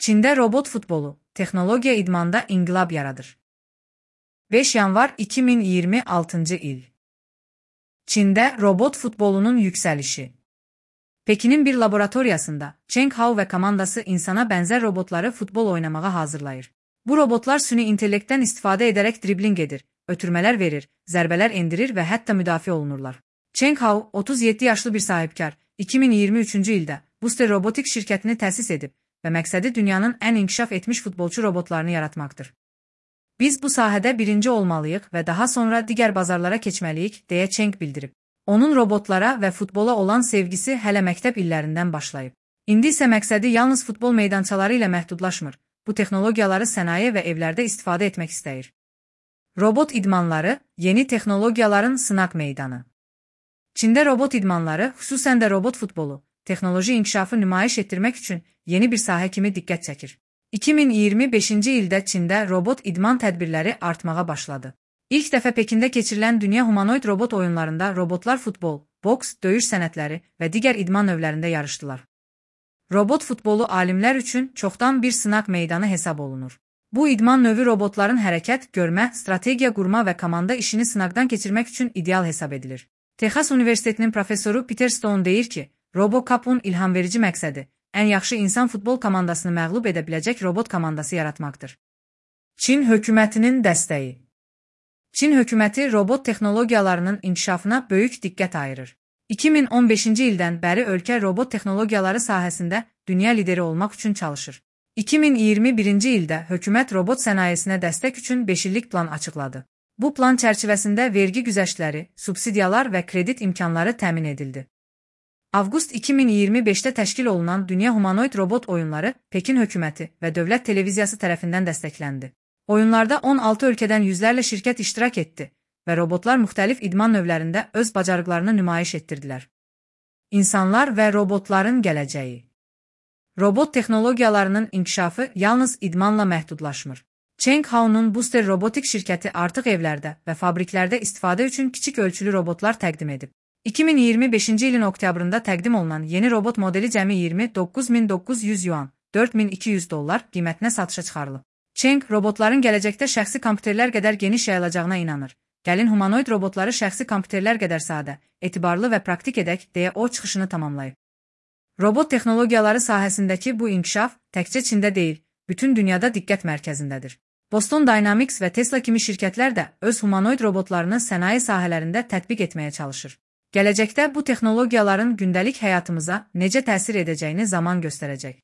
Çində robot futbolu, texnologiya idmanda inqilab yaradır. 5 yanvar 2026 il. Çində robot futbolunun yüksəlişi. Pekinin bir laboratoriyasında Cheng Hao və komandası insana bənzər robotları futbol oynamağa hazırlayır. Bu robotlar süni intellektdən istifadə edərək dribling edir, ötürmələr verir, zərbələr endirir və hətta müdafiə olunurlar. Cheng Hao, 37 yaşlı bir sahibkar, 2023-cü ildə Booster Robotics şirkətini təsis edib və məqsədi dünyanın ən inkişaf etmiş futbolçu robotlarını yaratmaqdır. Biz bu sahədə birinci olmalıyıq və daha sonra digər bazarlara keçməliyik, deyə Cheng bildirib. Onun robotlara və futbola olan sevgisi hələ məktəb illərindən başlayıb. İndi isə məqsədi yalnız futbol meydançaları ilə məhdudlaşmır, bu texnologiyaları sənaye və evlərdə istifadə etmək istəyir. Robot idmanları, yeni texnologiyaların sınaq meydanı. Çində robot idmanları, xüsusən də robot futbolu, texnoloji inkişafı nümayiş etdirmək üçün yeni bir sahə kimi diqqət çəkir. 2025-ci ildə Çində robot idman tədbirləri artmağa başladı. İlk dəfə Pekində keçirilən dünya humanoid robot oyunlarında robotlar futbol, boks, döyüş sənətləri və digər idman növlərində yarışdılar. Robot futbolu alimlər üçün çoxdan bir sınaq meydanı hesab olunur. Bu idman növü robotların hərəkət, görmə, strategiya qurma və komanda işini sınaqdan keçirmək üçün ideal hesab edilir. Texas Universitetinin professoru Peter Stone deyir ki, RoboCup'un ilhamverici məqsədi ən yaxşı insan futbol komandasını məğlub edə biləcək robot komandası yaratmaqdır. Çin hökumətinin dəstəyi. Çin hökuməti robot texnologiyalarının inkişafına böyük diqqət ayırır. 2015-ci ildən bəri ölkə robot texnologiyaları sahəsində dünya lideri olmaq üçün çalışır. 2021-ci ildə hökumət robot sənayesinə dəstək üçün 5 illik plan açıqladı. Bu plan çərçivəsində vergi güzəştləri, subsidiyalar və kredit imkanları təmin edildi. Avqust 2025-də təşkil olunan Dünya Humanoid Robot oyunları Pekin hökuməti və dövlət televiziyası tərəfindən dəstəkləndi. Oyunlarda 16 ölkədən yüzlərlə şirkət iştirak etdi və robotlar müxtəlif idman növlərində öz bacarıqlarını nümayiş etdirdilər. İnsanlar və robotların gələcəyi. Robot texnologiyalarının inkişafı yalnız idmanla məhdudlaşmır. Cheng Hao'nun Booster Robotics şirkəti artıq evlərdə və fabriklərdə istifadə üçün kiçik ölçülü robotlar təqdim edib. 2025-ci ilin oktyabrında təqdim olunan yeni robot modeli cəmi 29.900 yuan, $4.200 qiymətinə satışa çıxarılıb. Cheng, robotların gələcəkdə şəxsi kompüterlər qədər geniş yayılacağına inanır. Gəlin humanoid robotları şəxsi kompüterlər qədər sadə, etibarlı və praktik edək, deyə o çıxışını tamamlayıb. Robot texnologiyaları sahəsindəki bu inkişaf təkcə Çində deyil, bütün dünyada diqqət mərkəzindədir. Boston Dynamics və Tesla kimi şirkətlər də öz humanoid robotlarını sənaye sahələrində tətbiq etməyə çalışır. Gələcəkdə bu texnologiyaların gündəlik həyatımıza necə təsir edəcəyini zaman göstərəcək.